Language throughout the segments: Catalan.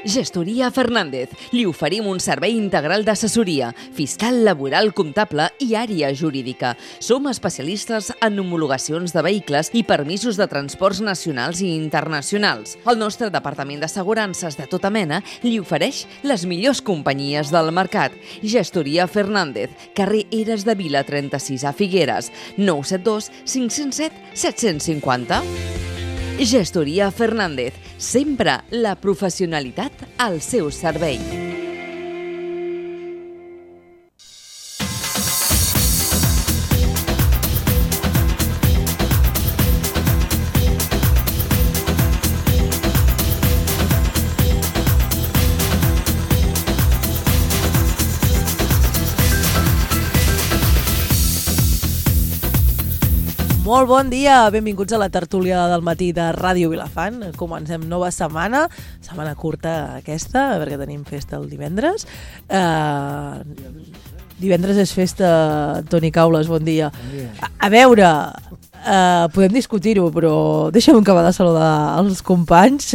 Gestoria Fernández. Li oferim un servei integral d'assessoria, fiscal, laboral, comptable i àrea jurídica. Som especialistes en homologacions de vehicles i permisos de transports nacionals i internacionals. El nostre departament d'assegurances de tota mena li ofereix les millors companyies del mercat. Gestoria Fernández, carrer Eres de Vila 36 a Figueres, 972 507 750. Gestoria Fernández, sempre la professionalitat al seu servei. Molt bon dia, benvinguts a la tertúlia del matí de Ràdio Vilafant. Comencem nova setmana curta aquesta, perquè tenim festa el divendres. Divendres és festa, Toni Caules, bon dia. Bon dia. A veure, podem discutir-ho, però deixa'm acabar de saludar els companys.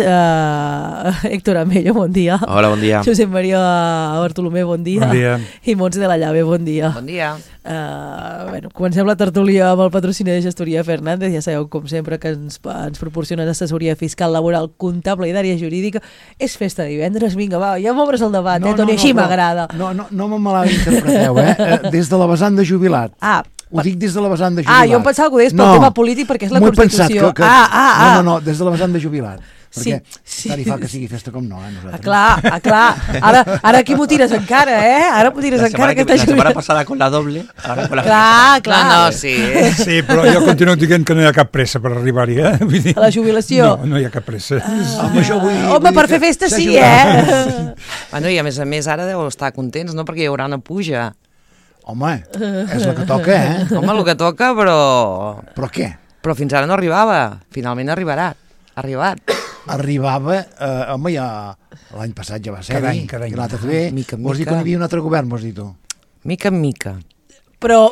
Héctor Amello, bon dia. Hola, bon dia. Josep Maria Bartolomé, bon dia. Bon dia. I Montse de la Llave, bon dia. Bon dia. Comencem la tertúlia amb el patrocini de Gestoria Fernández. Ja sabeu, com sempre, que ens proporciona assessoria fiscal, laboral, comptable i d'àrea jurídica. És festa divendres, vinga, va, ja m'obres el debat, Toni, així m'agrada. No me malinterpreteu, des de la vessant de jubilat. Ho dic des de la vessant de jubilat. Jo em pensava que ho deies pel tema polític perquè és la Constitució. No, des de la vessant de jubilat. Perquè tant hi fa que sigui festa com no, nosaltres. Clar. Ara aquí m'ho tires encara, Ara m'ho tires encara. La setmana passada con la doble, ara con la Clar. No, sí. Sí, però jo continuo dient que no hi ha cap pressa per arribar-hi, Vull dir, a la jubilació? No hi ha cap pressa. Home, per fer festa sí, Bueno, i a més ara deu estar contents, no? Perquè hi haurà una puja. Home, és el que toca, Home, el que toca, però... Però què? Però fins ara no arribava. Finalment arribarà. Arribava, home, ja l'any passat ja va ser. Cada any. I l'altre també. Mica en Vols dir mica. que no hi havia un altre govern, vols dir tu? Mica en mica. Però...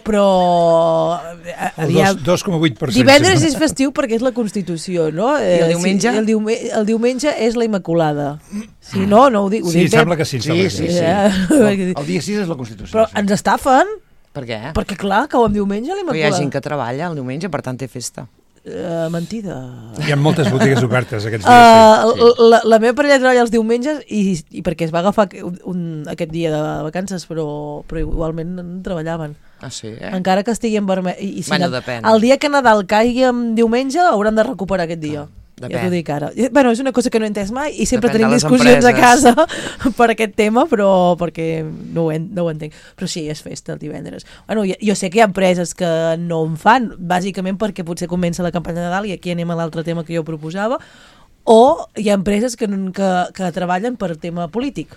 El 2,8%. Divendres és festiu perquè és la Constitució, no? I el diumenge? El diumenge és la Immaculada. Sí, no ho dic. Sí, sembla que sí. Sí. El dia 6 és la Constitució. Però ens estafen, Per què? perquè clar, cau en diumenge Però hi ha l'Immaculada. gent que treballa el diumenge, per tant té festa. Mentida. Hi ha moltes botigues obertes aquests dies. La meva parella treballa els diumenges i perquè es va agafar aquest dia de vacances, però igualment treballaven. Ah, sí, Encara que estigui en vermell. I Bueno, depèn. El dia que Nadal caigui en diumenge hauran de recuperar aquest dia. Depèn. Ja t'ho dic ara. Bueno, és una cosa que no he entès mai i sempre Depèn de tenim les discussions a empreses. casa per aquest tema, però perquè no ho entenc. Però sí, és festa el divendres. Bueno, jo sé que hi ha empreses que no en fan, bàsicament perquè potser comença la campanya de Nadal i aquí anem a l'altre tema que jo proposava, o hi ha empreses que treballen per tema polític,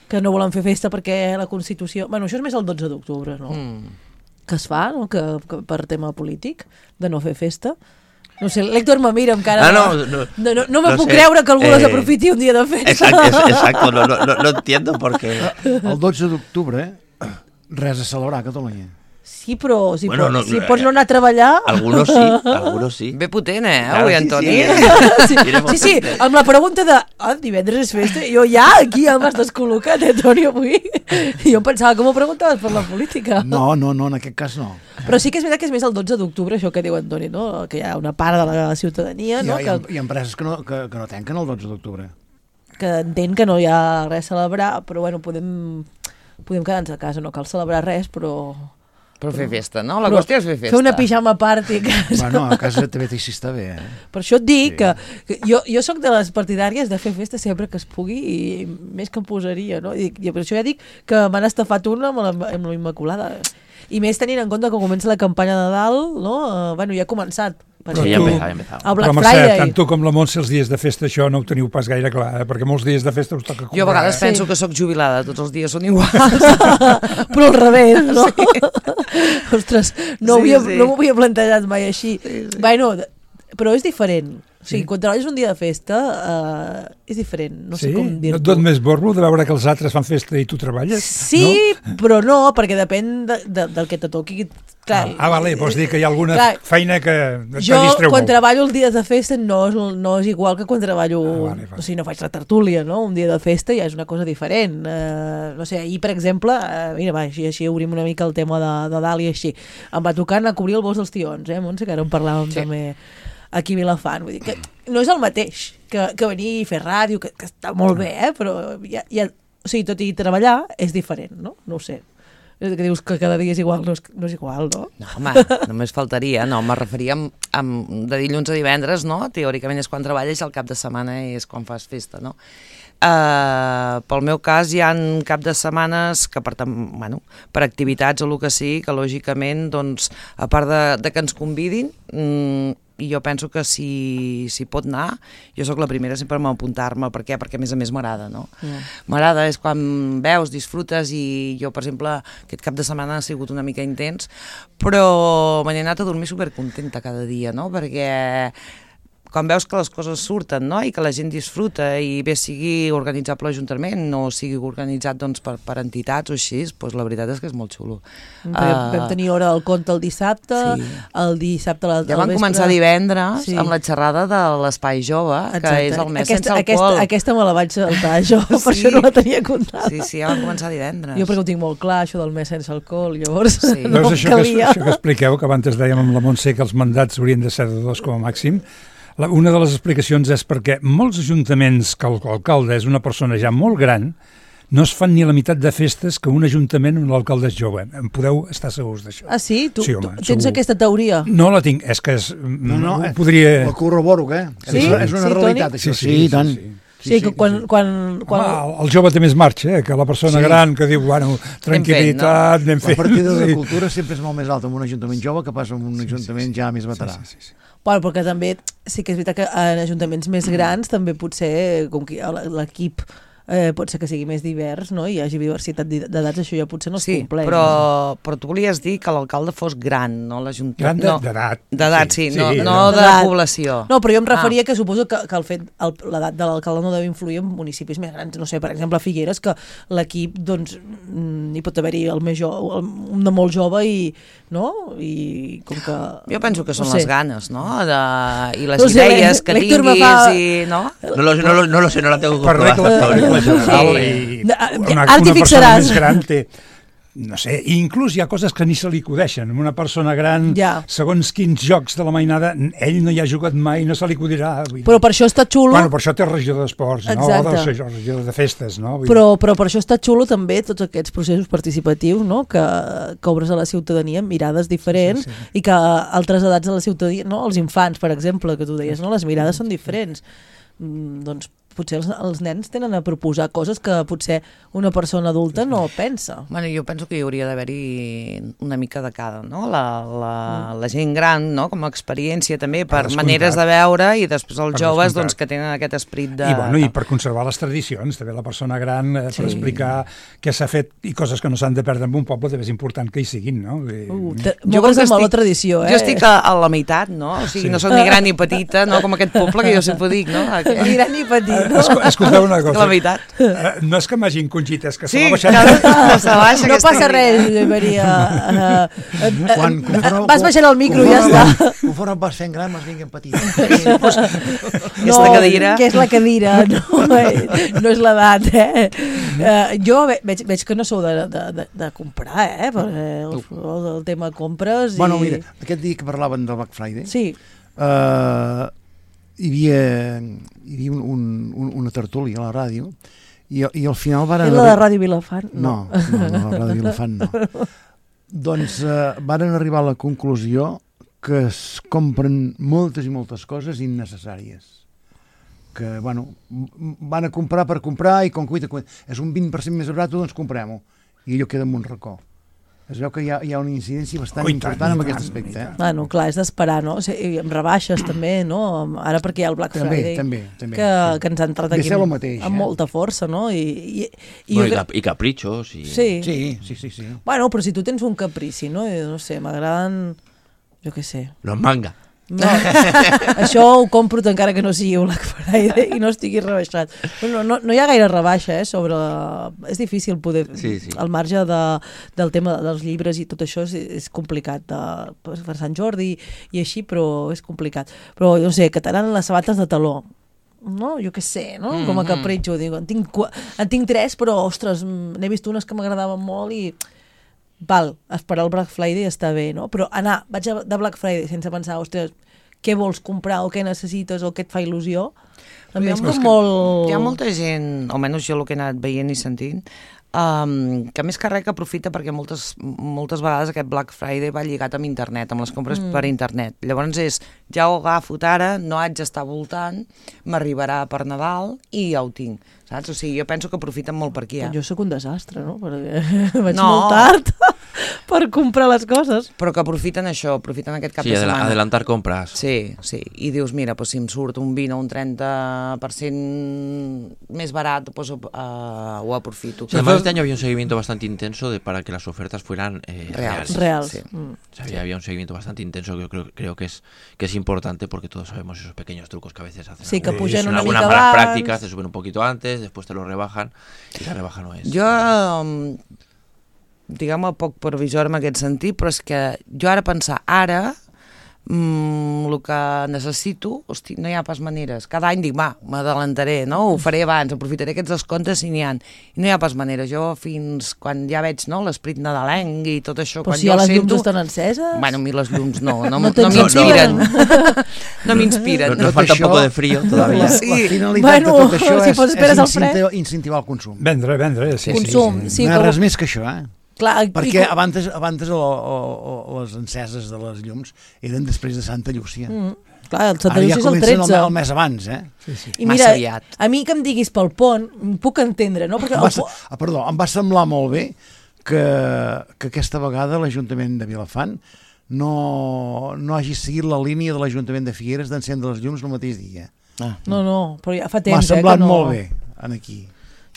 que no volen fer festa perquè la Constitució... Bueno, això és més el 12 d'octubre, no? Que es fa, no? Que per tema polític, de no fer festa. No sé, l'Héctor me mira amb cara... No me puc creure que algú les aprofiti un dia de festa. Exacto, no entiendo por qué. El 12 d'octubre, res a celebrar a Catalunya. Sí, però si Bueno, pots no anar a treballar... Algunos sí. Bé potent, Claro, avui, sí, Antoni? Sí, amb la pregunta de divendres és festa, jo ja aquí ja m'has descol·locat, Toni, avui. Jo em pensava que m'ho preguntaves per la política. No, en aquest cas no. Però sí que és veritat que és més el 12 d'octubre, això que diu Antoni, no? Que hi ha una part de la ciutadania, no? Hi ha empreses que no tanquen el 12 d'octubre. Que entenc que no hi ha res a celebrar, però bueno, podem quedar-nos a casa, no cal celebrar res, però fer festa, no? La qüestió és fer festa. Fer una pijama party a casa. Bueno, a casa també t'hi està bé, Per això et dic que jo soc de les partidàries de fer festa sempre que es pugui i més que em posaria, no? I per això ja dic que m'han estafat una amb la Immaculada. I més tenint en compte que comença la campanya de Nadal, no? Bueno, ja ha començat. Sí, ja ha empezat. El Black Però, Friday. tant tu com la Montse, els dies de festa, això no ho teniu pas gaire clar, perquè molts dies de festa us toca comprar. Jo a vegades penso que sóc jubilada, tots els dies són iguals. Però al revés, no? Ostres, no m'ho havia plantejat mai així. Bueno, però és diferent. O sigui, quan treballes un dia de festa és diferent, no sé com dir-ho. No et dot més borbo de veure que els altres fan festa i tu treballes? Sí, però no, perquè depèn del que te toqui Clar, vale, vols dir que hi ha alguna feina que jo, distreu quan molt. treballo el dia de festa no és igual que quan treballo... Vale. O sigui, no faig la tertúlia, no? Un dia de festa ja és una cosa diferent. No sé, ahir, per exemple, mira, va, així obrim una mica el tema de dalt i així. Em va tocar anar a cobrir el bosc dels tions, Montse, que ara en parlàvem també aquí a Vilafant. Vull dir que no és el mateix que venir i fer ràdio, que està molt bé, però o sigui, tot i treballar és diferent, no? No ho sé. Que dius que cada dia és igual, no és igual, no? No, home, només faltaria. No, me referia de dilluns a divendres, no? Teòricament és quan treballes, el cap de setmana és quan fas festa, no? Pel meu cas hi ha cap de setmanes que per activitats o el que sigui, que lògicament, doncs, a part de que ens convidin, i jo penso que si pot anar, jo sóc la primera sempre a apuntar-me. Per què? Perquè a més m'agrada, no? M'agrada, és quan veus, disfrutes, i jo, per exemple, aquest cap de setmana ha sigut una mica intens, però me n'he anat a dormir supercontenta cada dia, no? Perquè quan veus que les coses surten, no? I que la gent disfruta, i bé sigui organitzat per l'Ajuntament o sigui organitzat doncs, per entitats o així, doncs la veritat és que és molt xulo. Vam tenir hora del conte el dissabte, el dissabte al vespre. Ja van començar divendres amb la xerrada de l'Espai Jove, que és el mes sense alcohol. Aquesta me la vaig saltar jo, per això no la tenia comptada. Sí, ja van començar divendres. Jo perquè ho tinc molt clar, això del mes sense alcohol, llavors no calia. Això que expliqueu, que abans dèiem amb la Montse que els mandats haurien de ser de 2 com a màxim. Una de les explicacions és perquè molts ajuntaments que l'alcalde és una persona ja molt gran no es fan ni la meitat de festes que un ajuntament on l'alcalde és jove. En podeu estar segurs d'això. Ah, sí? Tu home, tens aquesta teoria? No la tinc, és que podria... La corroboro, què? Sí? És una realitat, això. Sí, tant. Sí, que quan... El jove té més marxa, que la persona gran que diu, bueno, tranquil·litat, anem fent... La partida de cultura sempre és molt més alta en un ajuntament jove que pas en un ajuntament ja més veterà. Sí. Bueno, perquè també sí que és veritat que en ajuntaments més grans també potser, com que l'equip pot ser que sigui més divers, no? I hi hagi diversitat d'edats, això ja potser no es compleix. Però tu volies dir que l'alcalde fos gran, no l'Ajuntament? Gran d'edat. D'edat, sí, no de població. No, però jo em referia que suposo que el fet, l'edat de l'alcalde no deu influir en municipis més grans. No sé, per exemple, a Figueres, que l'equip, doncs, hi pot haver-hi un de molt jove i com que... Jo penso que són les ganes, no? I les idees que tinguis i... No lo sé, no la tengo comprobada. Una persona més gran té, no sé, inclús hi ha coses que ni se li acudeixen. Una persona gran, segons quins jocs de la mainada, ell no hi ha jugat mai, no se li acudirà. Però per això està xulo... Bueno, per això té regidor d'esports, no? O regidor de festes, no? Però per això està xulo també tots aquests processos participatius, no? Que obres a la ciutadania amb mirades diferents i que altres edats de la ciutadania, no? Els infants, per exemple, que tu deies, no? Les mirades són diferents. Doncs potser els nens tenen a proposar coses que potser una persona adulta no pensa. Bueno, jo penso que hi hauria d'haver-hi una mica de cada, no? La gent gran, no? Com a experiència també, per maneres de veure, i després els joves doncs, que tenen aquest esperit de... I per conservar les tradicions, també la persona gran, per explicar què s'ha fet i coses que no s'han de perdre en un poble, també és important que hi siguin, no? Moure's amb la tradició, Jo estic a la meitat, no? O sigui, no soc ni gran ni petita, no? Com aquest poble que jo sempre dic, no? Ni gran ni petit. Escolteu una cosa. La veritat. No és que m'hagin congit, és que se m'ha baixat. No passa res, Maria. Vas baixant el micro i ja està. Conforme vas fent gran, vas vinguent petit. Aquesta cadira... Que és la cadira, no és l'edat, Jo veig que no sou de comprar, el tema compres... Bueno, mira, aquest dia que parlaven del Black Friday... Sí. Hi havia una tertúlia a la ràdio i al final varen... la de Ràdio Vilafant? No, la Ràdio Vilafant no. Doncs varen arribar a la conclusió que es compren moltes i moltes coses innecessàries. Que, bueno, van a comprar per comprar i com que és un 20% més barat, doncs comprem-ho. I allò queda en un racó. Es veu que hi ha una incidència bastant important en aquest aspecte. Bueno, clar, és d'esperar, no? Amb rebaixes també, no? Ara perquè hi ha el Black Friday, que ens ha entrat aquí amb molta força, no? I capritxos. Sí. Bueno, però si tu tens un caprici, no? No sé, m'agraden, jo què sé. Los manga. No, això ho compro encara que no sigui Black Friday i no estigui rebaixat. No hi ha gaire rebaixa sobre... És difícil poder... Al marge del tema dels llibres i tot això és complicat per Sant Jordi i així, però és complicat. Però no sé, que t'aran les sabates de taló, no? Jo què sé, no? Com a capritxo, dic, en tinc 3, però ostres, n'he vist unes que m'agradaven molt i val, esperar el Black Friday està bé, no? Però vaig de Black Friday sense pensar, ostres, què vols comprar o què necessites o què et fa il·lusió, també és molt... Hi ha molta gent, almenys jo el que he anat veient i sentint, que més que res que aprofita perquè moltes vegades aquest Black Friday va lligat amb internet, amb les compres per internet. Llavors ja ho agafo ara, no haig d'estar voltant, m'arribarà per Nadal i ja ho tinc, saps? O sigui, jo penso que aprofiten molt per aquí. Jo sóc un desastre, no? Perquè vaig molt tard per comprar les coses. Però que aprofiten això, aprofiten aquest cap de setmana. Sí, adelantar compras. Sí, i dius, mira, pues, si em surt un 20 o un 30% més barat, pues, ho aprofito. Sí, además este año había un seguimiento bastante intenso para que las ofertas fueran reales. Sí. O sea, había un seguimiento bastante intenso que yo creo que es importante porque todos sabemos esos pequeños trucos que a veces hacen. Sí, que pugen una algunas mica malas abans. prácticas, te suben un poquito antes, después te lo rebajan y la rebaja no es. Jo, diguem-me, poc previsor en aquest sentit, però és que jo ara pensar, el que necessito, hosti, no hi ha pas maneres. Cada any dic, m'adalantaré, no? Ho faré abans, aprofitaré aquests descomptes si n'hi ha. I no hi ha pas maneres. Jo fins quan ja veig l'esperit nadalenc i tot això, però quan si jo les llums sento... estan enceses? Bueno, a mi les llums no m'inspiren. No m'inspiren. Nos falta un poco de frío todavía. La finalitat de tot això és incentivar el consum. Vendre, sí. Consum, sí. No hi ha res més que això, Clar, perquè abans les enceses de les llums eren després de Santa Llúcia. Clar, el Santa Llúcia és el 13. El mes abans, Sí. I mira, a mi que em diguis pel pont, puc entendre, no? Perquè em va semblar molt bé que aquesta vegada l'Ajuntament de Vilafant no hagi seguit la línia de l'Ajuntament de Figueres d'encendre les llums el mateix dia. No, però ja fa temps. M'ha semblat molt bé, aquí.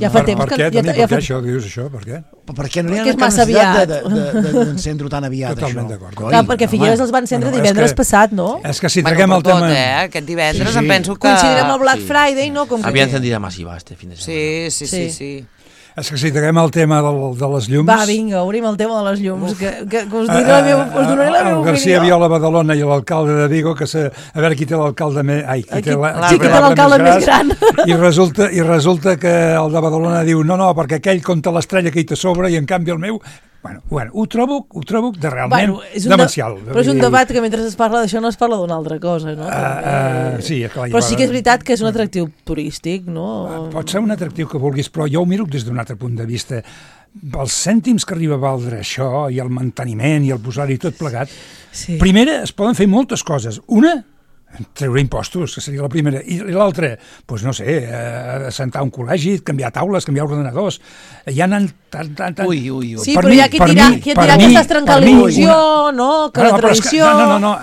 Ja fa temps que... Per què això? Dius això? Per què? Perquè no hi ha cap necessitat d'encendre-ho tan aviat, Totalment d'acord. Clar, perquè Figueres els va encendre divendres passat, no? És que si traguem el tema... Aquest divendres em penso que... Coincidirem amb el Black Friday, no? Había encendida masiva este fin de semana. Sí. És que si traguem el tema de les llums... Va, vinga, obrim el tema de les llums, que us donaré la meva opinió. El García Viola Badalona i l'alcalde de Vigo, que a veure qui té l'alcalde més... Qui té l'alcalde més gran. I resulta que el de Badalona diu no, perquè aquell compta l'estrella que hi té sobre i en canvi el meu... Bueno, ho trobo de realment demencial. Però és un debat que mentre es parla d'això no es parla d'una altra cosa, no? Sí, clar. Però sí que és veritat que és un atractiu turístic, no? Pot ser un atractiu que vulguis, però jo ho miro des d'un altre punt de vista. Els cèntims que arriba a valdre això, i el manteniment, i el posar-hi tot plegat, primera, es poden fer moltes coses. Una, treure impostos, que seria la primera, i l'altra, doncs no sé, assentar un col·legi, canviar taules, canviar ordenadors, ja n'han tant... Ui. Sí, però hi ha qui et dirà que estàs trencant la il·lusió, no? Que la tradició... No,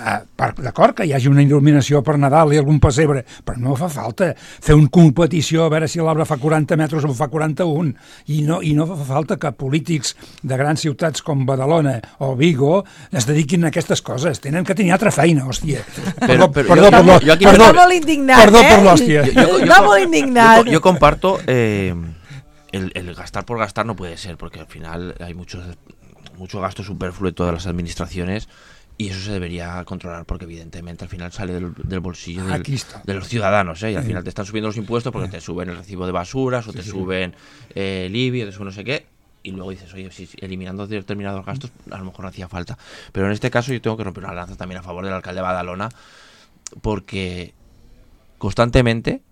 d'acord, que hi hagi una il·luminació per Nadal i algun pessebre, però no fa falta fer una competició a veure si l'arbre fa 40 metres o fa 41, i no fa falta que polítics de grans ciutats com Badalona o Vigo es dediquin a aquestes coses, tenen que tenir altra feina, hòstia. Perdó molt indignat, Perdó per l'hòstia. Molt indignat. Yo comparto el gastar por gastar no puede ser, porque al final hay mucho gasto superfluo de todas las administraciones y eso se debería controlar porque evidentemente al final sale del bolsillo de los ciudadanos, y al final te están subiendo los impuestos porque te suben el recibo de basuras o te suben el IBI o te suben no sé qué. Y luego dices, oye, si eliminando determinados gastos a lo mejor no hacía falta. Pero en este caso yo tengo que romper una lanza también a favor del alcalde de Badalona, porque constantemente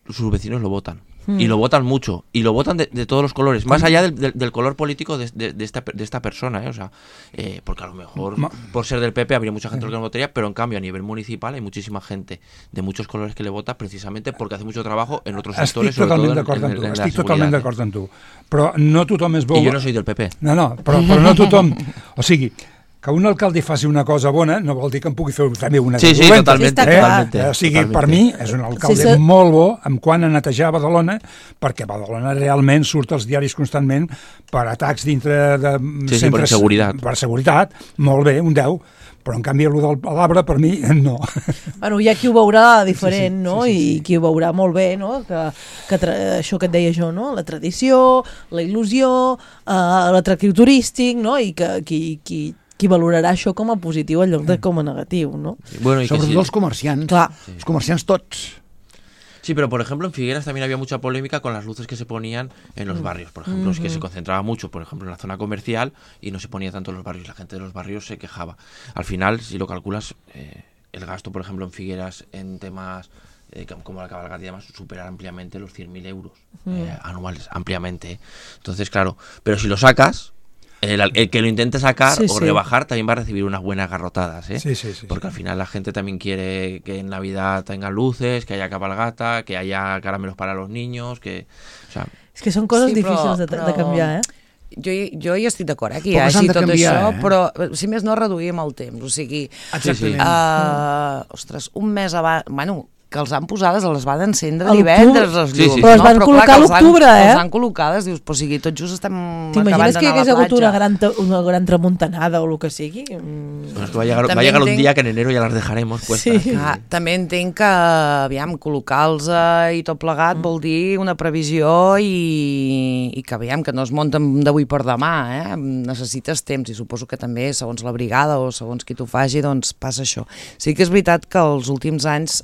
sus vecinos lo votan. Y lo votan mucho, y lo votan de todos los colores, más allá del color político de esta persona, o sea, porque a lo mejor por ser del PP habría mucha gente que no votaría, pero en cambio a nivel municipal hay muchísima gente de muchos colores que le vota precisamente porque hace mucho trabajo en otros sectors, sobre todo en estic totalment d'acord amb tu, però no tothom és bo... I jo no soy del PP. No, però no tothom... O sigui, que un alcalde faci una cosa bona no vol dir que en pugui fer també una Sí, dolenta. totalmente. Sí, està clar. totalmente, O sigui, totalmente. per mi és un alcalde molt bo en quant a netejar Badalona, perquè Badalona realment surt als diaris constantment per atacs dintre de Sí, per seguretat. Per seguretat, molt bé, un 10, però en canvi el del Palabra per mi no. Bueno, hi ha qui ho veurà diferent, Sí, sí, no? sí, sí, sí. I qui ho veurà molt bé, no? Que això que et deia jo, no? La tradició, la il·lusió, l'atractiu turístic, no? I que qui valorarà això com a positiu en lloc de com a negatiu, ¿no? Bueno, y que Sobretot sí. els comerciants. Clar. Els comerciants tots. Sí, pero por ejemplo en Figueras también había mucha polémica con las luces que se ponían en los barrios. Por ejemplo, es que se concentraba mucho, por ejemplo, en la zona comercial y no se ponía tanto en los barrios. La gente de los barrios se quejaba. Al final, si lo calculas, el gasto, por ejemplo, en Figueras en temas como la cabalgata y demás, supera ampliamente los 100.000 euros anuales, ampliamente. Entonces, claro, pero si lo sacas, el que lo intente sacar o rebajar también va a recibir unas buenas garrotadas, ¿eh? Sí. Porque al final la gente también quiere que en Navidad tengan luces, que haya cabalgata, que haya caramelos para los niños, que... O sea, És que són coses difícils de canviar, Jo hi estic d'acord, que hi Però que s'han hagi de tot canviar, això, eh? però si més no reduïm el temps, o sigui... Exactament. Ostres, un mes abans... Bueno, que els han posades, les van encendre A divendres, les Sí, llums. sí. Però es van clar, col·locar que a els han- l'octubre, Els han col·locades, dius, però o sigui, tot just estem acabant T'imagines que hi d'anar a hagués la hagut platja. una gran tramuntanada o el que sigui? bueno, es que va a llegar También un tengo- día que en enero ya las dejaremos puestas. Sí. També entenc que, aviam, col·locar-los i tot plegat vol dir una previsió i que, aviam, que no es munten d'avui per demà, necessites temps i suposo que també, segons la brigada o segons qui t'ho faci, doncs passa això. Sí que és veritat que els últims anys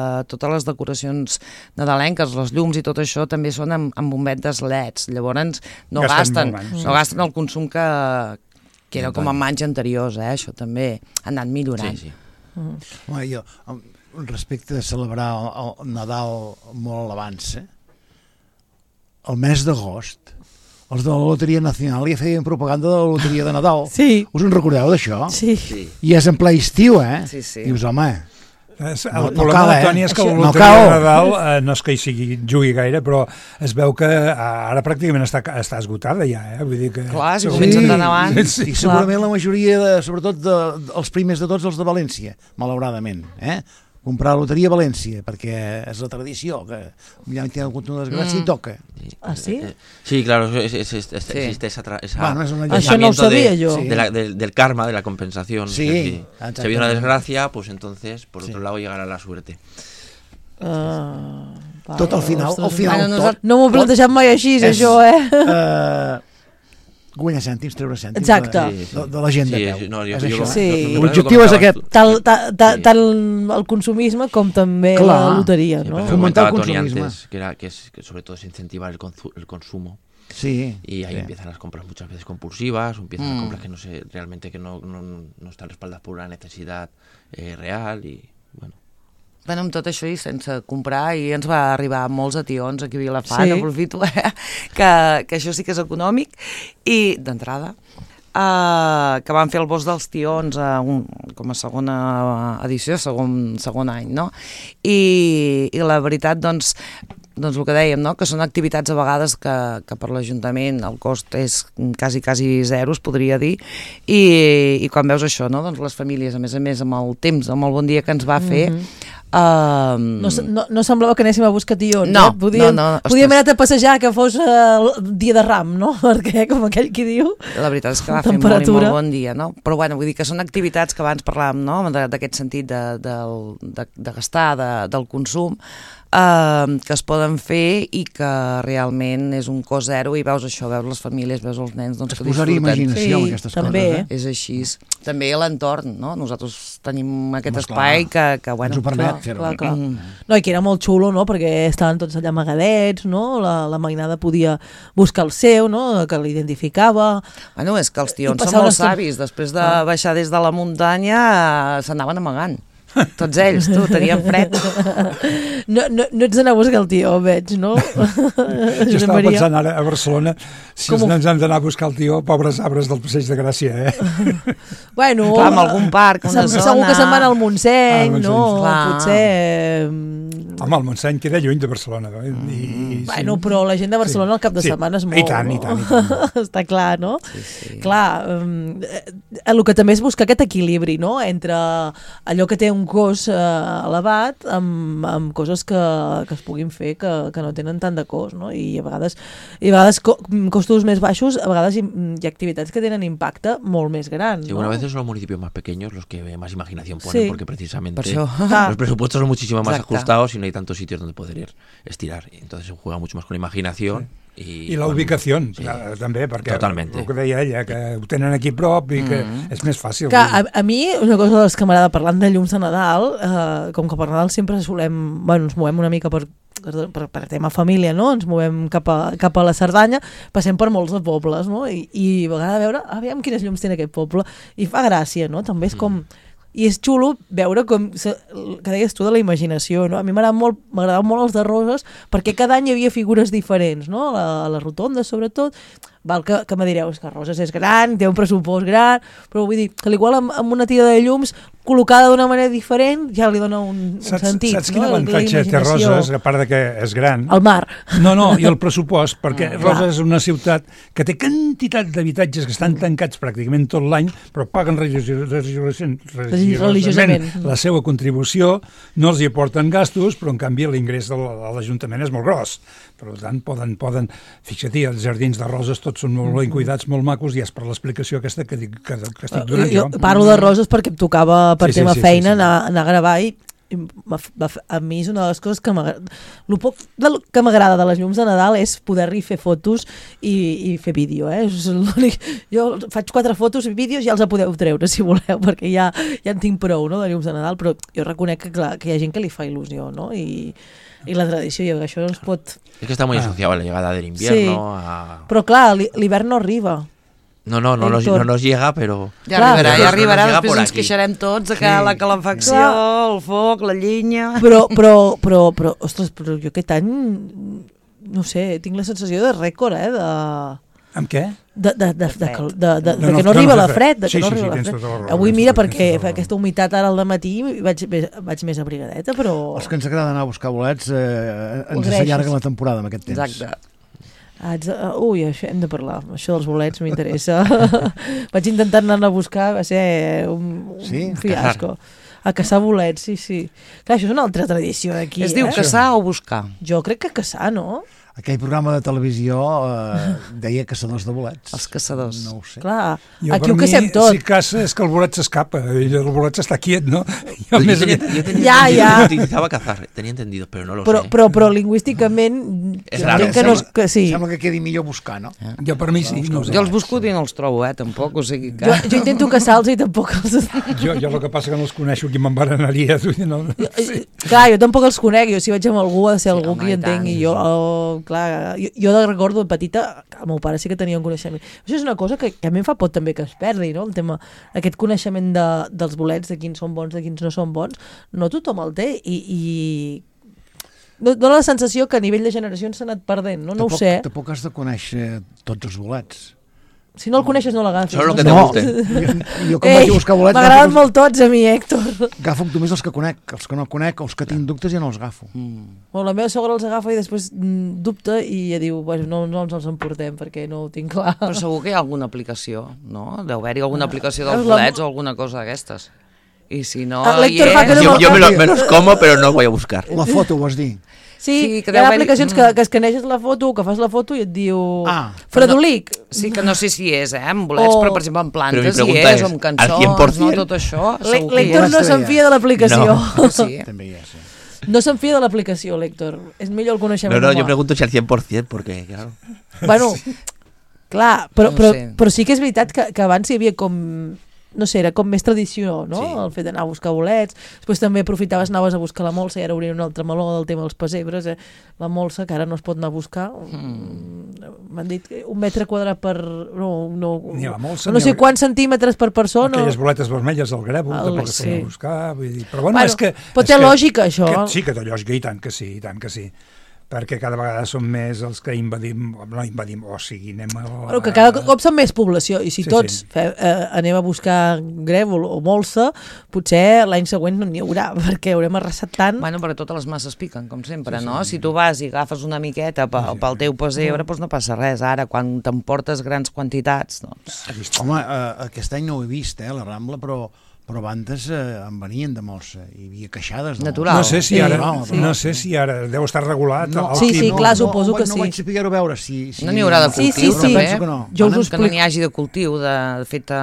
totes les decoracions nadalenques, les llums i tot això també són amb bombetes LEDs, llavors no Gasten gasten, molt menys. no gasten el consum que era com en anys anteriors, això també ha anat millorant. Sí, sí. Home, jo, respecte a celebrar el Nadal molt abans, el mes d'agost, els de la Loteria Nacional ja feien propaganda de la Loteria de Nadal. Sí. Us en recordeu d'això? Sí. I és en ple estiu, Sí, sí. Dius, home, El No problema cal, de la Toni és que la No loteria cal. de Nadal no és que hi jugui gaire, però es veu que ara pràcticament està esgotada ja, Vull dir que... Clar, si Sí. comencen tant abans... i segurament la majoria, sobretot els primers de tots, els de València, malauradament, comprar loteria a València, perquè és la tradició, que ja hi ha hagut una desgràcia i toca. Ah, sí? Sí, claro, existe esa Bueno, es una Això no ho sabia jo. Sí. del karma, de la compensación. Sí, Es decir, si exactamente. ha habido una desgracia, pues entonces, por otro Sí. lado, llegará la suerte. Tot al final, Bueno, tot. No m'ho he plantejat mai així, això, Guanyar cèntims, treure cèntims Exacte. de la gent de Sí, peu. sí, no, És jo això. Sí. L'objectiu és aquest. Tant el consumisme com també Clar. la loteria, Sí, no? pero Fomentar el comentaba Tony consumismo. antes, que sobre todo es incentivar el consumo. Sí. Y ahí sí. empiezan las compras muchas veces compulsivas, o empiezan las compras que no sé, realmente que no están respaldadas por una necesidad real y bueno. Bueno, amb tot això i sense comprar, i ens va arribar molts ations aquí a Vilafant, Sí. aprofito, que això sí que és econòmic, i d'entrada, que van fer el bosc dels tions com a segona edició, segon any, no? I la veritat, doncs el que dèiem, no? Que són activitats a vegades que per l'Ajuntament el cost és quasi zero, es podria dir, i quan veus això, no? Doncs les famílies, a més amb el temps, amb el bon dia que ens va fer, No semblava que anéssim a buscar tions, No, Podíem ostres. anar a passejar que fos el dia de Ram, no? Perquè, com aquell qui diu... La veritat és que va fer molt bon dia, no? Però bueno, vull dir que són activitats que abans parlàvem, no?, d'aquest sentit de gastar, del consum, que es poden fer i que realment és un cost zero, i veus això, veus les famílies, veus els nens, doncs que Posar-hi disfruten. imaginació en Sí, aquestes també, coses. És així. També l'entorn, no? Nosaltres tenim aquest Home, espai que bueno... Ens ho permet Clar, fer-ho. clar, clar. No, i que era molt xulo, no?, perquè estaven tots allà amagadets, no?, la mainada podia buscar el seu, no?, que l'identificava. Bueno, és que els tions passar són molt una estona- savis. Després de baixar des de la muntanya s'anaven amagant. Tots ells, tenien fred. No ets d'anar a buscar el tio, veig, no? Jo estava pensant ara a Barcelona si Com ens hem d'anar a buscar el tio, pobres arbres del Passeig de Gràcia, Bueno, Clar, amb algun parc, una zona... Segur que se'n van al Montseny, Al Montseny, no? clar. Potser Home, el Montseny queda lluny de Barcelona. Bueno, però la gent de Barcelona al cap de setmana es mou. I tant. Està clar, no? Sí. Clar, el que també és buscar aquest equilibri, no?, entre allò que té un cost elevat amb coses que es puguin fer que no tenen tant de cost, no? I a vegades costos més baixos, a vegades hi ha activitats que tenen impacte molt més gran. Sí, ¿no? bueno, a veces son los municipios más pequeños los que más imaginación ponen, Sí. porque precisamente Per això. los presupuestos son muchísimo más Exacte. ajustados y no hay tantos sitios donde poder estirar. Y entonces se juega mucho más con la imaginación. I la ubicació, sí. també, perquè Totalmente. el que deia ella, que ho tenen aquí a prop i que és més fàcil. Que a mi, una cosa de les que m'agrada parlant de llums de Nadal, com que per Nadal sempre ens movem una mica per tema família, no? Ens movem cap a la Cerdanya, passem per molts de pobles, no? I a vegades veure, aviam quines llums té aquest poble, i fa gràcia, no? També és com... I és xulo veure com, que deies tu de la imaginació, no? A mi m'agradaven molt els de Roses, perquè cada any hi havia figures diferents, no? A la rotonda, sobretot. Val que me direu, és que Roses és gran, té un pressupost gran, però vull dir que igual amb una tira de llums col·locada d'una manera diferent ja li dona un sentit. Saps quin avantatge té Roses, a part de que és gran? El mar. No, i el pressupost, perquè Roses és una ciutat que té quantitat d'habitatges que estan tancats pràcticament tot l'any, però paguen religiosament la seva contribució, no els hi aporten gastos, però en canvi l'ingrés de l'Ajuntament és molt gros. Per tant, poden fixa't-hi, els jardins de Roses tots són molt ben cuidats, molt macos, i és per l'explicació aquesta que estic donant jo. Parlo de Roses perquè em tocava per tema feina anar a gravar i a mi és una de les coses que el poc que m'agrada de les llums de Nadal és poder-hi fer fotos i fer vídeo, És jo faig 4 fotos i vídeos, ja els podeu treure si voleu, perquè ja en tinc prou, no, de llums de Nadal, però jo reconec que hi ha gent que li fa il·lusió, no? I la tradició, i això no es pot... Es que está muy asociado a la llegada del invierno. Sí. Però clar, l'hivern no arriba. No nos llega, pero... Ja arribarà, nos després llega ens queixarem tots de que la calefacció, el foc, la llenya... Però, ostres, però jo aquest any, no sé, tinc la sensació de rècord, Amb què? de que no arriba la fred, Avui mira, perquè fa aquesta humitat ara al dematí vaig més abrigadeta, però... Els que ens agrada anar a buscar bolets ens s'allarga la temporada amb aquest temps. Exacte. Ui, això hem de parlar, això dels bolets m'interessa. Vaig intentar anar a buscar, va ser un fiasco. A caçar bolets, sí. Clar, això és una altra tradició d'aquí. Es diu caçar o buscar? Jo crec que caçar, no? Aquell programa de televisió deia caçadors de bolets. Els caçadors. No ho sé. Clar, Jo, aquí ho per caçem mi, tot. si caça és que el bolet s'escapa, i el bolet està quiet, no? Yo tenía Ja. utilizaba cazar, tenía entendido, pero no lo sé. Però lingüísticament... És raro. Sí. Sembla que quedi millor buscar, no? Jo per mi sí, no ho sé. Jo els busco i no els trobo, tampoc, o sigui que... Jo intento caçar-los i tampoc els... Jo el que passa que no els coneixo, qui m'embaranaria. No. Sí. Clar, jo tampoc els conec, jo si vaig amb algú ha de ser algú home, que hi i tant, entengui. Jo de recordo de petita, el meu pare sí que tenia un coneixement. Això és una cosa que a mi em fa por també que es perdi, no? El tema, aquest coneixement dels bolets, de quins són bons, de quins no són bons, no tothom el té i dona la sensació que a nivell de generacions s'ha anat perdent, no? No ho sé. Tampoc has de conèixer tots els bolets. Si no el coneixes no l'agafis. Solo que te guste. Jo quan vaig a buscar bolets... M'agraden molt tots a mi, Héctor. Agafo només els que conec. Els que no conec, els que tinc dubtes ja no els agafo. Bueno, la meva sogra els agafa i després dubta i ja diu, bueno, no ens els emportem perquè no ho tinc clar. Però segur que hi ha alguna aplicació, no? Deu haver-hi alguna aplicació dels bolets o alguna cosa d'aquestes. I si no... L'Héctor fa que no Yo me los como, pero no voy a buscar. La foto, vols dir? Sí, que hi ha deu haver-hi- aplicacions que escaneges la foto, que fas la foto i et diu... Fredolic. Sí, que no sé si és, en bolets, però per exemple en Però mi plantes hi pregunta és, o és, en al cançons, 100%? no? Tot això, segur que hi L'Héctor és. no se'n fia de l'aplicació. Sí. També hi és, sí. No se'n fia de l'aplicació, l'Héctor. És millor el coneixement No, humà. yo pregunto si al 100%, porque, claro... Bueno, clar, No sé. però sí que és veritat que abans hi havia com... No sé, era com més tradició, no? Sí. El fet d'anar a buscar bolets. Després també aprofitaves, anaves a buscar la molsa i ara obrien un altre meló del tema dels pessebres. La molsa, que ara no es pot anar a buscar. M'han dit que 1 metre quadrat per... Ni la molsa, no ni sé el- quants centímetres per persona. Aquelles boletes vermelles del grèvol, tampoc es sí. poden buscar. Vull dir. Però bueno, és que... Però té lògica, això. Sí que té lògica, i tant que sí, i tant que sí. perquè cada vegada són més els que invadim, o sigui, anem a... Bueno, que cada cop són més població, i si tots anem a buscar grèvol o molsa, potser l'any següent no n'hi haurà, perquè haurem arrasat tant. Bueno, però totes les masses piquen, com sempre, no? Si tu vas i agafes una miqueta pel teu pessebre, doncs no passa res. Ara, quan t'emportes grans quantitats, doncs... Home, aquest any no ho he vist, la Rambla, però abans en venien de molsa, hi havia queixades. Natural. No sé si ara deu estar regulat. Sí, clar, suposo que sí. No vaig saber-ho veure. No n'hi haurà de cultiu, també? Jo us ho explico. Que no n'hi hagi de cultiu, de fet...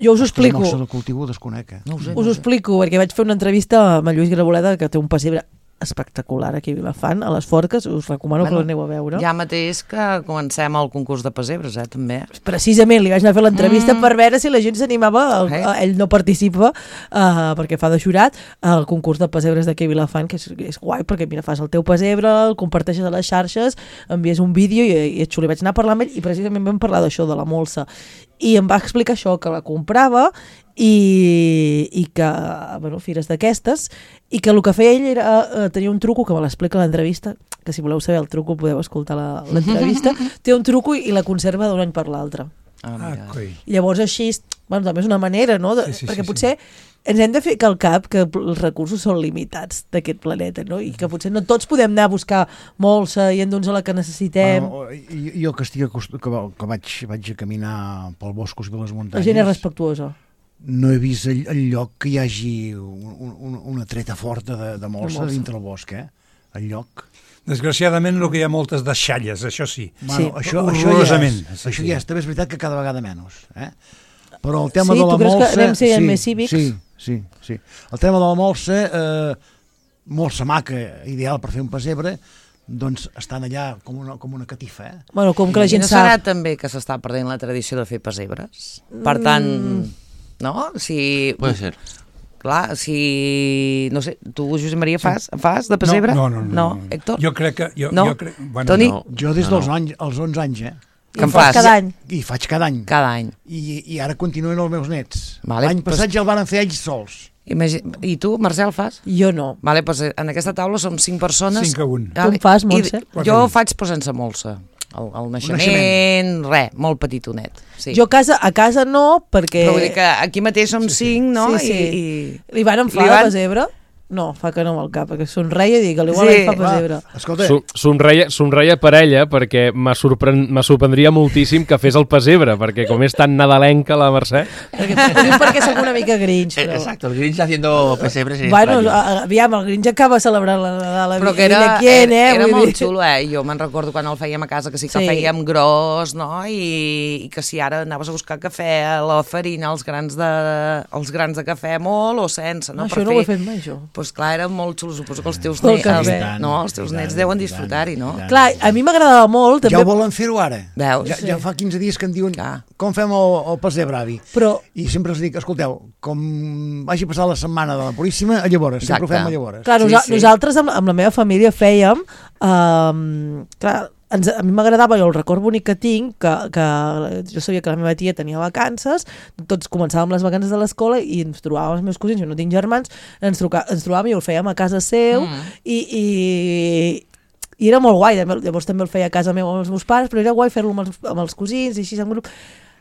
Jo us ho explico. El de cultiu ho desconec, Us ho explico, perquè vaig fer una entrevista amb el Lluís Graboleda, que té un pessebre espectacular aquí a Vilafant, a les Forques, us recomano que l'aneu a veure. Ja mateix que comencem el concurs de pessebres, també. Precisament, li vaig anar a fer l'entrevista per veure si la gent s'animava, ell no participa perquè fa de jurat, al concurs de pessebres d'aquí a Vilafant, que és guai, perquè mira, fas el teu pessebre, el comparteixes a les xarxes, envies un vídeo i és xulo. Vaig anar a parlar amb ell i precisament vam parlar d'això, de la molsa, i em va explicar això, que la comprava i que, bueno, fires d'aquestes, i que el que feia ell era tenir un truco, que me l'explica a l'entrevista, que si voleu saber el truco podeu escoltar l'entrevista, té un truco i la conserva d'un any per l'altre. I llavors així, bueno, també és una manera, no? Perquè potser ens hem de fer al cap que els recursos són limitats d'aquest planeta, no? I que potser no tots podem anar a buscar molsa i endur-nos la que necessitem. Jo que vaig a caminar pel boscos i les muntanyes... La gent és respectuosa. No he vist el lloc que hi hagi una treta forta de molsa dintre el bosc, el lloc. Desgraciadament el que hi ha moltes deixalles, això sí. Bueno, això ja és, també és veritat que cada vegada menys, Però el tema de la molsa... Sí, tu creus que anem sent més cívics? Sí. El tema de la molsa, molsa maca, ideal per fer un pessebre, doncs estan allà com una catifa, Bueno, com que la gent sap... No serà també que s'està perdent la tradició de fer pessebres? Per tant, no? Si... Puede ser. Clar, si... No sé, tu, Josep Maria, fas de pessebre? No, Héctor? Jo crec que... No? Toni? Jo des dels 11 anys, Que en fas? Cada any. I faig cada any. Cada any. I ara continuen els meus nets. L'any passat ja el van fer ells sols. I tu, Marcel, fas? Jo no. Vale, doncs en aquesta taula som 5 persones. 5 a 1. Tu en fas, Montse? Jo faig però sense molsa. El naixement, res, molt petitonet. Sí. Jo a casa no, perquè... Però vull dir que aquí mateix som 5, no? Sí. Li van enflar de pessebre? No, fa que no amb el cap, perquè somreia i dic que l'igual fa pessebre. Escolta... Somreia per ella, perquè me sorprendria moltíssim que fes el pessebre, perquè com és tan nadalenca la Mercè... Perquè soc una mica Grinch, però... Exacto, el Grinch haciendo pesebres en Bueno, aviam, el Grinch acaba celebrant la Nadal però que era molt xulo, Jo me'n recordo quan el fèiem a casa, que sí que fèiem gros, no? I que si ara anaves a buscar cafè, la farina, els grans de cafè molt o sense, no? Això no ho he fet mai, jo. Doncs clar, era molt xulo, suposo que els teus nets deuen disfrutar-hi, no? Clar, a mi m'agradava molt... Ja ho volen fer-ho ara. Veus? Ja fa 15 dies que em diuen com fem el pessebre, avi. I sempre els dic, escolteu, com vagi passar la setmana de la Puríssima, a llavors, sempre ho fem a llavors. Clar, nosaltres amb la meva família fèiem... Clar, a mi m'agradava, jo el record bonic que tinc, que jo sabia que la meva tia tenia vacances, tots començàvem les vacances de l'escola i ens trobàvem els meus cosins, jo no tinc germans, ens trobàvem i el fèiem a casa seu i era molt guai, llavors també el feia a casa meva amb els meus pares, però era guai fer-lo amb els cosins i així en grup.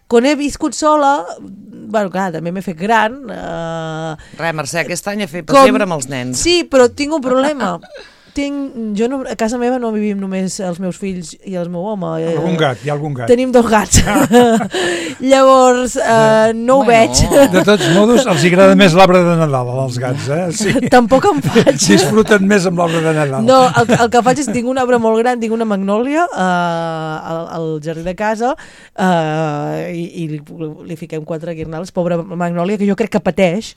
Quan he viscut sola, bueno, clar, també m'he fet gran. Res, Mercè, aquest any he fet pessebre amb els nens. Sí, però tinc un problema. A casa meva no vivim només els meus fills i el meu home. Hi ha algun gat. Tenim 2 gats. Llavors, no ho veig. De tots modos, els agrada més l'arbre de Nadal, als gats, Sí. Tampoc em faig. Disfruten més amb l'arbre de Nadal. No, el que faig és, tinc un arbre molt gran, tinc una magnòlia al jardí de casa i li fiquem 4 guirnals. Pobra magnòlia, que jo crec que pateix,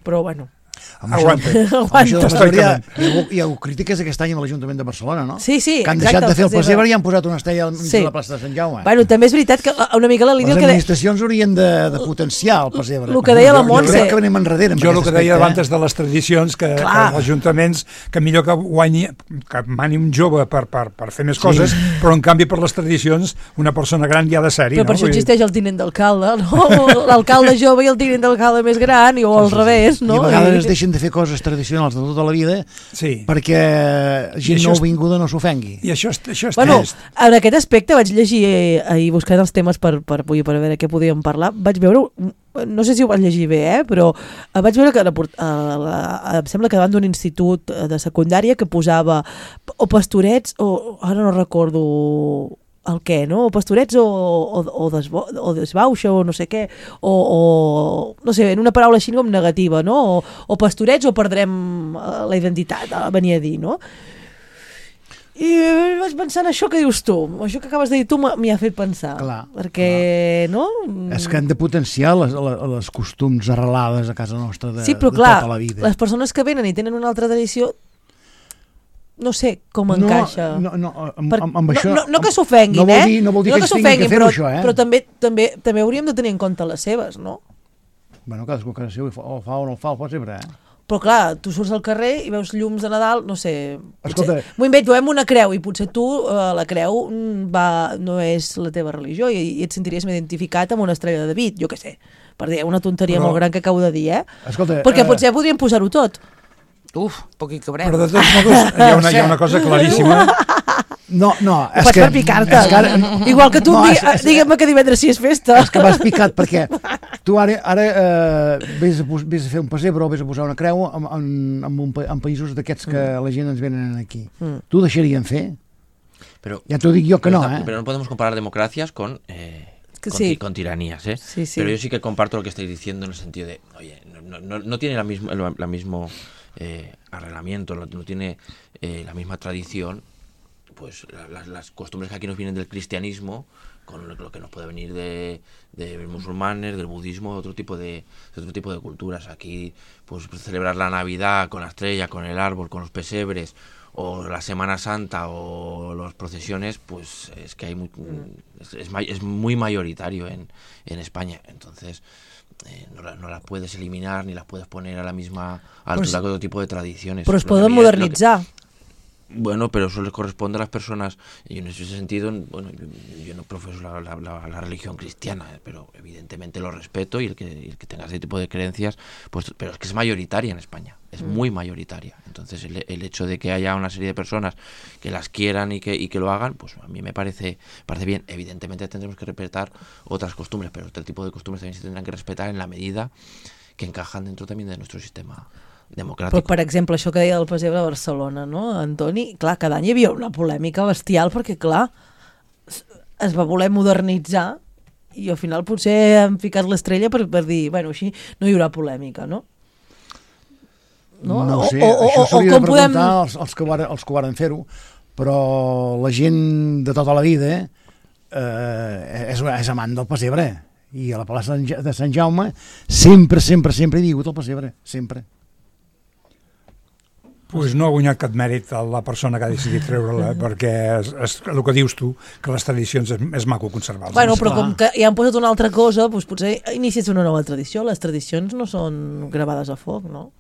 però bueno... Aguanta. Hi ha crítiques aquest any amb l'Ajuntament de Barcelona, no? Sí, que han deixat de fer el pessebre i han posat una estella al mig de la plaça de Sant Jaume. Bueno, també és veritat que una mica la línia... Les administracions haurien de potenciar el pessebre. El que deia la Montse... Jo crec que venim enrere. Jo el que deia abans de les tradicions, que els ajuntaments, que millor que mani un jove per fer més coses, però en canvi per les tradicions una persona gran ja ha de ser-hi. Però per això existeix el tinent d'alcalde, no? L'alcalde jove i el tinent d'alcalde més gran, o al revés, no? I a vegades es deixen de fer coses tradicionals de tota la vida Sí. perquè gent això nouvinguda no s'ofengui. I això és Bueno, trist. en aquest aspecte vaig llegir ahir buscant els temes per avui, per veure què podíem parlar. Vaig veure, no sé si ho vaig llegir bé, però vaig veure que em sembla que davant d'un institut de secundària que posava o pastorets o ara no recordo el què, no? O pastorets o desbauxa o no sé què, o no sé, en una paraula així com negativa, no? O pastorets o perdrem la identitat, venia a dir, no? I vaig pensar en això que dius tu, això que acabes de dir tu m'hi ha fet pensar. Clar, perquè, no? És que han de potenciar les costums arrelades a casa nostra de, Sí, però de clar, tota la vida. les persones que venen i tenen una altra tradició, no sé com encaixa. Amb això... No que s'ofenguin, no vol dir que ells tinguin que fer-ho, això, però també hauríem de tenir en compte les seves, no? Bueno, cadascú a casa seva o fa o no fa, el pot sempre, Però clar, tu surts al carrer i veus llums de Nadal, no sé... Escolta... M'ho invento, veiem una creu i potser tu, la creu, no és la teva religió i et sentiries identificat amb una estrella de David, jo què sé. Per dir, una tonteria molt gran que acabo de dir, Escolta, perquè potser podríem posar-ho tot. Poc hi cabrem. Però de tots modos hi ha una cosa claríssima. No, és que... per picar-te. Igual que tu digue'm que divendres sí és festa. És que m'has picat perquè tu ara vés a fer un pessebre o vés a posar una creu en països d'aquests que la gent ens venen aquí. Tu deixarien fer? Pero, ya te digo yo que no, Pero no podemos comparar democracias con tiranías, ¿eh? Sí. Pero yo sí que comparto lo que estáis diciendo en el sentido de, oye, no tiene la mismo arreglamiento, no tiene la misma tradición, pues las costumbres que aquí nos vienen del cristianismo con lo que nos puede venir de musulmanes, del budismo, de otro tipo de culturas. Aquí, pues celebrar la Navidad con la estrella, con el árbol, con los pesebres, o la Semana Santa o las procesiones, pues es que hay es muy mayoritario en España. Entonces no las puedes eliminar ni las puedes poner a la misma altura que otro tipo de tradiciones. Però es poden modernitzar. Bueno, pero eso les corresponde a las personas, y en ese sentido, bueno, yo no profeso la religión cristiana, pero evidentemente lo respeto, y el que tenga ese tipo de creencias, pues, pero es que es mayoritaria en España, es muy mayoritaria. Entonces el hecho de que haya una serie de personas que las quieran y que lo hagan, pues a mí me parece bien. Evidentemente tendremos que respetar otras costumbres, pero este tipo de costumbres también se tendrán que respetar en la medida que encajan dentro también de nuestro sistema democràtic. Però, per exemple, això que deia del pessebre de Barcelona, no, Antoni? Clar, cada any hi havia una polèmica bestial perquè, clar, es va voler modernitzar i al final potser han ficat l'estrella per dir, bueno, així no hi haurà polèmica, no? No ho sé, això s'hauria de preguntar als que ho varen fer-ho, però la gent de tota la vida és amant del pessebre, i a la plaça de Sant Jaume sempre hi ha hagut el pessebre, sempre. Pues no ha guanyat cap mèrit a la persona que ha decidit treure-la, perquè és el que dius tu, que les tradicions és maco conservar-les. Bueno, però com que ja han posat una altra cosa, doncs potser inicies una nova tradició. Les tradicions no són gravades a foc, no?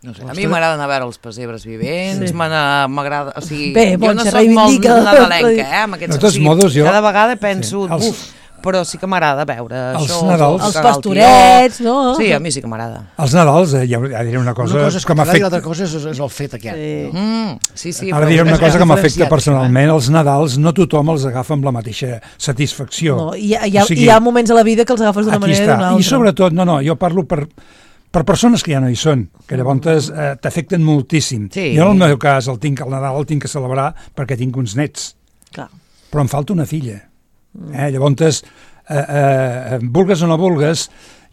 No sé, a mi m'agrada anar a veure els pessebres vivents, m'agrada, o sigui, bé, jo no soc molt nadalenca, amb aquests, de tots modos, jo... cada vegada penso, però sí que m'agrada veure els això. Nadals. Els pastorets, no? Sí, a mi sí que m'agrada. Els Nadals, ja diré una cosa que m'afecta. I l'altra cosa és el fet aquest. Sí. Ara diré una cosa que m'afecta personalment. Els Nadals no tothom els agafa amb la mateixa satisfacció. No, hi ha moments a la vida que els agafes d'una manera i d'una altra. I sobretot, jo parlo per persones que ja no hi són, que llavors t'afecten moltíssim. Sí. Jo en el meu cas, el Nadal el tinc que celebrar perquè tinc uns nets. Clar. Però em falta una filla. Llavors, vulgues o no vulgues,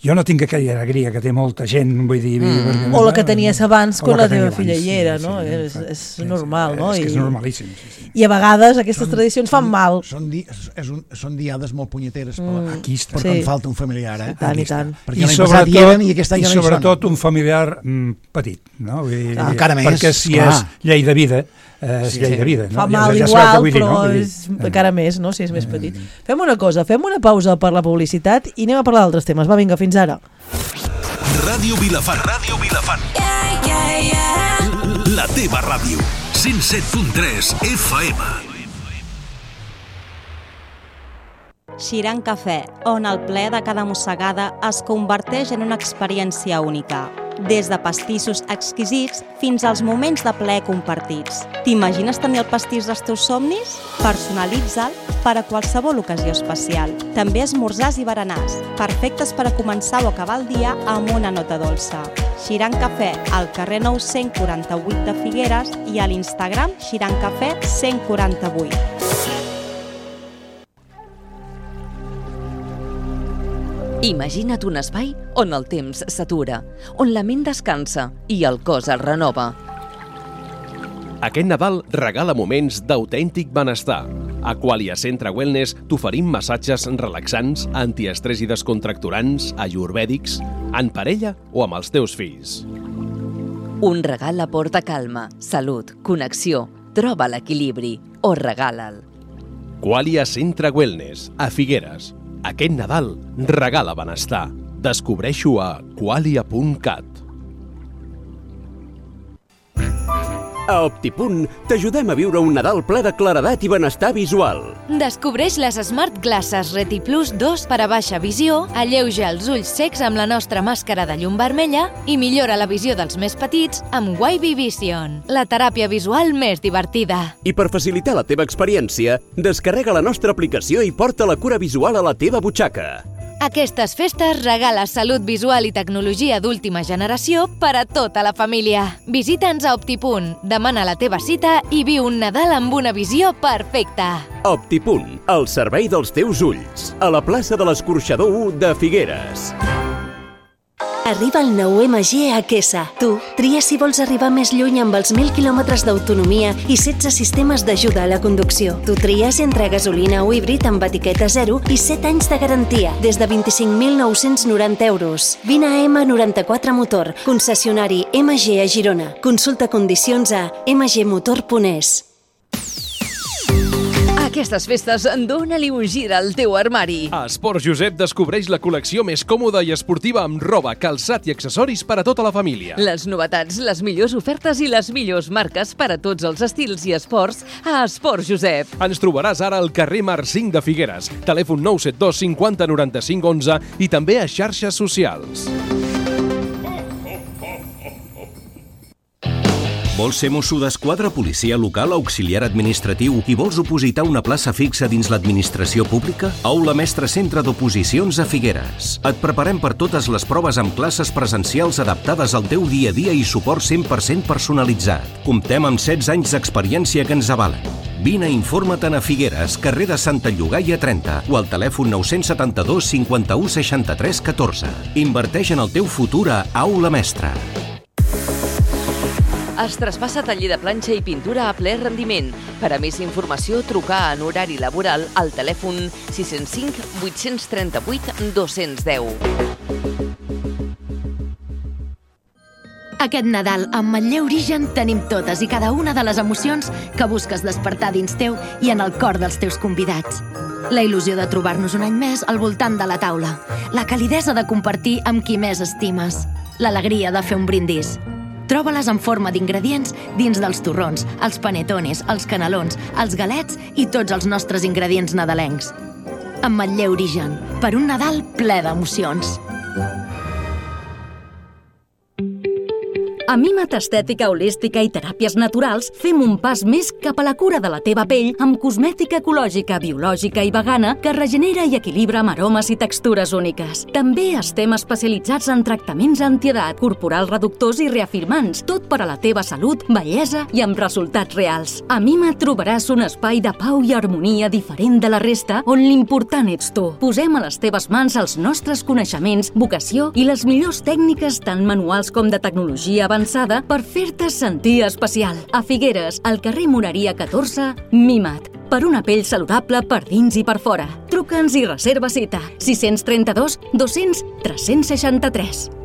jo no tinc aquella alegria que té molta gent, vull dir... O la que tenies abans quan la teva filla hi era, no? És normal, no? És que és normalíssim. I a vegades aquestes tradicions fan mal. Són diades molt punyeteres, perquè em falta un familiar, I tant. Perquè l'any passat hi eren i aquest any ja no hi són. I sobretot un familiar petit, no? Encara més. Perquè si és llei de vida, és llei de vida. Fa mal igual, però encara més, no? Si és més petit. Fem una cosa, fem una pausa per la publicitat i anem a parlar d'altres temes. Va, vinga, fins ara. Ràdio Vilafant. La teva ràdio. 107.3 FM. Xiran Cafè, on el ple de cada mossegada es converteix en una experiència única. des de pastissos exquisits fins als moments de plaer compartits. T'imagines tenir el pastís dels teus somnis? Personalitza'l per a qualsevol ocasió especial. També esmorzars i berenars, perfectes per a començar o acabar el dia amb una nota dolça. Xiran Cafè, al carrer 948 de Figueres i a l'Instagram Xiran Cafè 148. Imagina't un espai on el temps s'atura, on la ment descansa i el cos es renova. Aquest Nadal regala moments d'autèntic benestar. A Qualia Centre Wellness t'oferim massatges relaxants, antiestrès i descontracturants, ayurvèdics, en parella o amb els teus fills. Un regal aporta calma, salut, connexió, troba l'equilibri o regala'l. Qualia Centre Wellness, a Figueres. Aquest Nadal regala benestar. Descobreix-ho a qualia.cat. A Optipunt t'ajudem a viure un Nadal ple de claredat i benestar visual. Descobreix les Smart Glasses Reti Plus 2 per a baixa visió, alleuja els ulls secs amb la nostra màscara de llum vermella i millora la visió dels més petits amb Wavy Vision, la teràpia visual més divertida. I per facilitar la teva experiència, descarrega la nostra aplicació i porta la cura visual a la teva butxaca. Aquestes festes regala salut visual i tecnologia d'última generació per a tota la família. Visita'ns a Optipunt, demana la teva cita i viu un Nadal amb una visió perfecta. Optipunt, al servei dels teus ulls, a la plaça de l'Escorxador 1 de Figueres. Arriba el nou MG a Quesa. Tu, tria si vols arribar més lluny amb els 1.000 quilòmetres d'autonomia i 16 sistemes d'ajuda a la conducció. Tu tries entre gasolina o híbrid amb etiqueta 0 i 7 anys de garantia, des de 25.990 euros. Vine a M94 Motor, concessionari MG a Girona. Consulta condicions a mgmotor.es. Aquestes festes, dóna-li un gir al teu armari. A Esport Josep descobreix la col·lecció més còmoda i esportiva amb roba, calçat i accessoris per a tota la família. Les novetats, les millors ofertes i les millors marques per a tots els estils i esports a Esport Josep. Ens trobaràs ara al carrer Mar 5 de Figueres, telèfon 972 50 95 11 i també a xarxes socials. Vols ser mosso d'esquadra, policia local, auxiliar administratiu i vols opositar una plaça fixa dins l'administració pública? Aula Mestre Centre d'Oposicions a Figueres. Et preparem per totes les proves amb classes presencials adaptades al teu dia a dia i suport 100% personalitzat. Comptem amb 16 anys d'experiència que ens avalen. Vine i informa-te'n a Figueres, carrer de Santa Llogaia 30 o al telèfon 972 51 63 14. Inverteix en el teu futur a Aula Mestre. Es traspassa taller de planxa i pintura a ple rendiment. Per a més informació, trucar en horari laboral al telèfon 605 838 210. Aquest Nadal, amb Manlleu Origen, tenim totes i cada una de les emocions que busques despertar dins teu i en el cor dels teus convidats. La il·lusió de trobar-nos un any més al voltant de la taula. La calidesa de compartir amb qui més estimes. L'alegria de fer un brindis. Troba-les en forma d'ingredients dins dels torrons, els panetones, els canelons, els galets i tots els nostres ingredients nadalencs. Amb Manlleu Origen, per un Nadal ple d'emocions. A Mimat Estètica Holística i Teràpies Naturals fem un pas més cap a la cura de la teva pell amb cosmètica ecològica, biològica i vegana que regenera i equilibra amb aromes i textures úniques. També estem especialitzats en tractaments antiedat, corporals reductors i reafirmants, tot per a la teva salut, bellesa i amb resultats reals. A Mimat trobaràs un espai de pau i harmonia diferent de la resta on l'important ets tu. Posem a les teves mans els nostres coneixements, vocació i les millors tècniques tant manuals com de tecnologia avançada per fer-te sentir especial. A Figueres, al carrer Moreria 14, Mimat. Per una pell saludable per dins i per fora. Truca'ns i reserva cita. 632 200 363.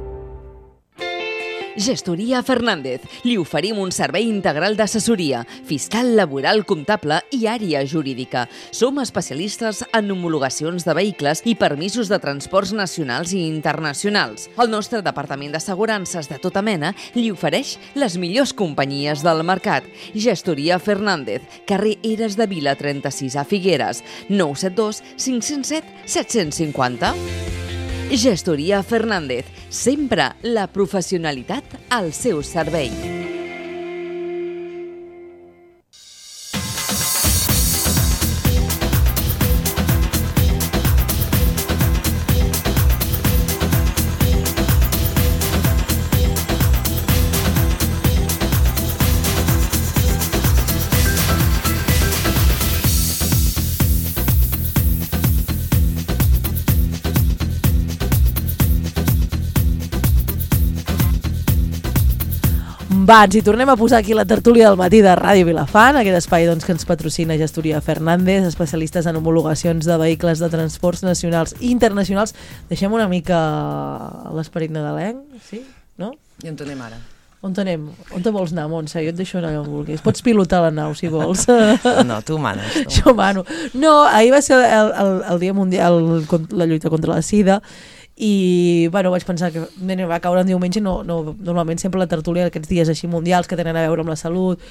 Gestoria Fernández. Li oferim un servei integral d'assessoria, fiscal, laboral, comptable i àrea jurídica. Som especialistes en homologacions de vehicles i permisos de transports nacionals i internacionals. El nostre departament d'assegurances de tota mena li ofereix les millors companyies del mercat. Gestoria Fernández, carrer Eres de Vila 36 a Figueres, 972 507 750. Gestoria Fernández, sempre la professionalitat al seu servei. Va, ens hi tornem a posar aquí la tertúlia del matí de Ràdio Vilafant, aquest espai doncs, que ens patrocina Gestoria Fernández, especialistes en homologacions de vehicles de transports nacionals i internacionals. Deixem una mica l'esperit nadalenc, sí? No? I on anem ara? On anem? On te vols anar, Montse? Jo et deixo anar on vulguis. Pots pilotar la nau, si vols. No, tu manes. Jo mano. No, ahir va ser el Dia Mundial, la lluita contra la sida, i bueno, vaig pensar que va caure en diumenge, normalment sempre la tertúlia aquests dies així mundials que tenen a veure amb la salut,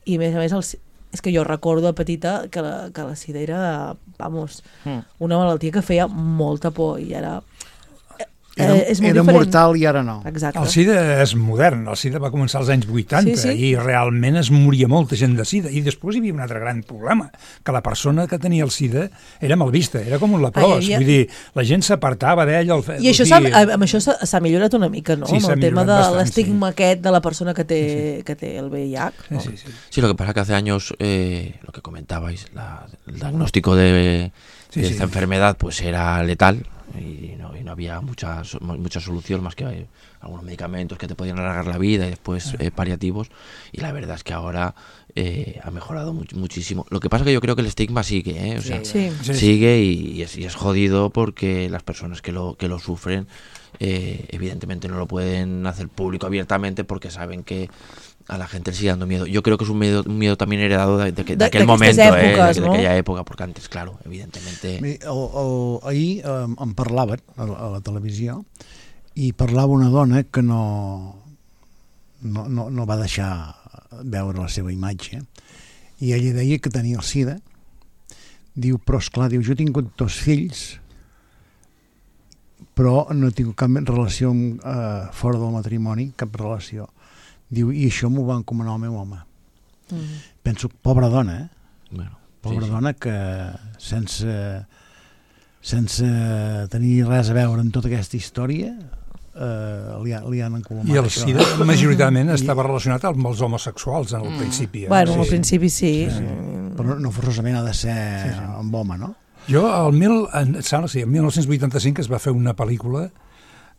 i a més és que jo recordo de petita que la sida era, vamos, una malaltia que feia molta por, i ara és molt era diferent. mortal i ara no. Exacte. El SIDA és modern, el SIDA va començar als anys 80 Sí. i realment es moria molta gent de SIDA, i després hi havia un altre gran problema, que la persona que tenia el SIDA era mal vista, era com un leprós, vull dir, la gent s'apartava d'ell. I això amb això s'ha millorat una mica, no? Sí, amb s'ha el tema de millorat bastant, l'estigma aquest de la persona que té el VIH. ¿no? Sí, lo que pasa que hace años, lo que comentabais, el diagnóstico de esta enfermedad pues era letal, y no había mucha solución más que algunos medicamentos que te podían alargar la vida y después paliativos, y la verdad es que ahora ha mejorado muchísimo. Lo que pasa que yo creo que el estigma sigue, o sea, sigue y es jodido, porque las personas que lo sufren evidentemente no lo pueden hacer público abiertamente porque saben que a la gente le sigue dando miedo. Yo creo que es un miedo también heredado de aquel momento, èpoques, de aquella època, porque antes, claro, evidentemente... Ahir em parlaven a la televisió, i parlava una dona que no va deixar veure la seva imatge, i ella deia que tenia el SIDA. Diu, però esclar, diu, jo he tingut 2 fills, però no he tingut cap relació fora del matrimoni, cap relació. Diu, i això m'ho va encomanar el meu home. Penso, pobra dona, Bueno, pobra dona que sense tenir res a veure amb tota aquesta història li han encolomat. I el SIDA majoritàriament estava relacionat amb els homosexuals en el principi. Bueno, al principi sí. Però no forçosament ha de ser amb home, no? Jo, el 1985 es va fer una pel·lícula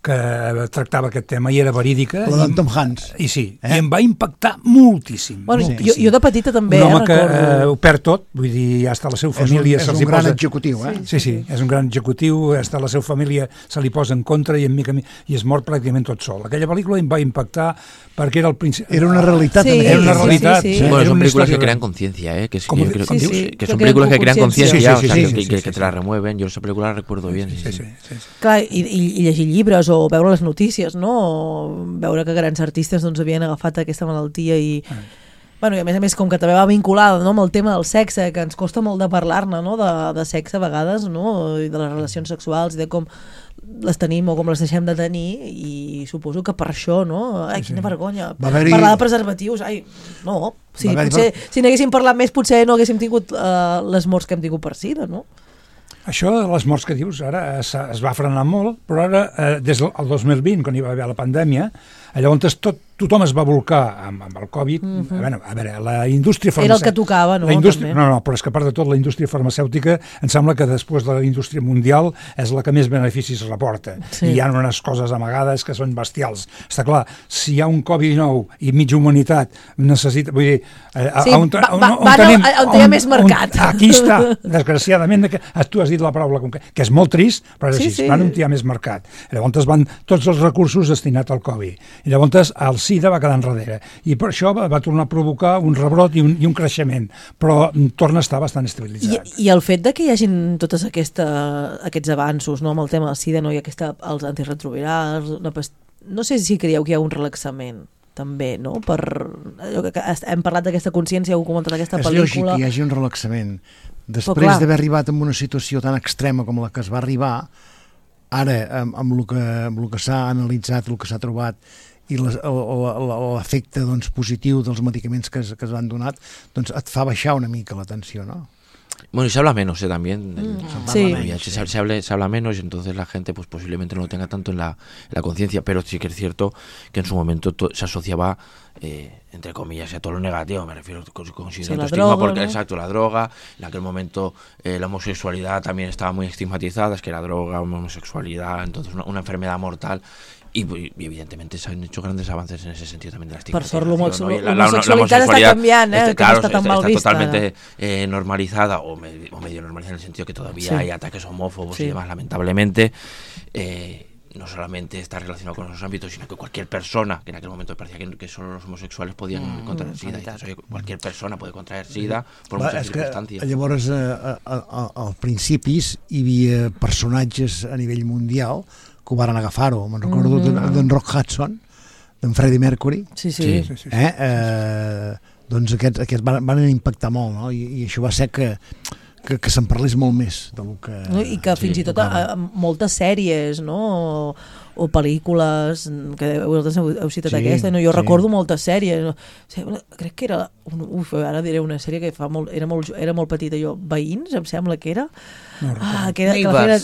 que tractava aquest tema i era verídica. La d'en Tom Hanks. I sí, i em va impactar moltíssim. Bueno, jo de petita també un home que recordo. ho perd tot, vull dir, hasta la seva família... És un gran executiu, Sí, és un gran executiu, hasta la seva família se li posa en contra i es mor pràcticament tot sol. Aquella pel·lícula em va impactar perquè era el principi... Era una realitat. Era una realitat. Bueno, son películas que crean conciencia, que son películas que crean conciencia, que te la remueven. Yo esa película la recuerdo bien. Clar, i llegir llibres o veure les notícies, no? O veure que grans artistes doncs, havien agafat aquesta malaltia i... Bueno, i a més, com que també va vinculada, no, amb el tema del sexe, que ens costa molt de parlar-ne, no? de sexe a vegades, no? I de les relacions sexuals, i de com les tenim o com les deixem de tenir, i suposo que per això, no? Ai, quina vergonya. Parlar de preservatius, ai, no. Si n'haguéssim parlat més, potser no haguéssim tingut les morts que hem tingut per sida, no? Això de les morts que dius, ara es va frenar molt, però ara, des del 2020, quan hi va haver la pandèmia, llavors tothom es va volcar amb el Covid. A veure, la indústria farmacèutica... Era el que tocava, no? No, però és que a part de tot, la indústria farmacèutica em sembla que després de la indústria mundial és la que més beneficis reporta. I hi ha unes coses amagades que són bestials. Està clar, si hi ha un Covid-19 i mitja humanitat necessita... Vull dir, on hi ha més mercat. Aquí està, desgraciadament, tu has dit la paraula, que és molt trist, però és així, van on hi ha més mercat. Llavors van tots els recursos destinats al Covid. I llavors el SIDA va quedar enrere. I per això va tornar a provocar un rebrot i un creixement. Però torna a estar bastant estabilitzat. I el fet de que hi hagin tots aquests avanços, no, amb el tema del SIDA, no, i els antirretrovirals, no sé si creieu que hi ha un relaxament també, no? Hem parlat d'aquesta consciència, heu comentat aquesta pel·lícula... És lògic que hi hagi un relaxament. Després d'haver arribat en una situació tan extrema com la que es va arribar, ara, amb el que s'ha analitzat, el que s'ha trobat, i l'efecte doncs, positiu dels medicaments que es van donar, doncs et fa baixar una mica la tensió, ¿no? Bueno, y se habla menos, también. Sí. Se habla menos y entonces la gente pues posiblemente no lo tenga tanto en la conciencia, pero sí que es cierto que en su momento se asociaba, entre comillas, a todo lo negativo, me refiero con cierto estigma, porque ¿no? Exacto, la droga, en aquel momento la homosexualidad también estaba muy estigmatizada, es que la droga, homosexualidad, entonces una enfermedad mortal. Y evidentemente se han hecho grandes avances en ese sentido también de la estigmatización. Per sort, l'homosexualitat està canviant, que no està tan mal vista. Está totalmente normalizada o medio normalizada en el sentido que todavía hay ataques homófobos y demás, lamentablemente. No solamente está relacionado con esos ámbitos, sino que cualquier persona, que en aquel momento parecía que solo los homosexuals podien contraer SIDA, cualquier persona puede contraer SIDA por muchas circunstàncies. Llavors, als principis hi havia personatges a nivell mundial que ho van agafar-ho. Me'n recordo d'en Rock Hudson, d'en Freddie Mercury. Sí. Doncs aquests van impactar molt, no? I això va ser que se'n parlés molt més del que... I que fins i tot moltes sèries, no? O pel·lícules, que vosaltres heu citat aquesta, no? Jo recordo moltes sèries, crec que era, ara diré una sèrie que era molt petita jo, Veïns, em sembla que era,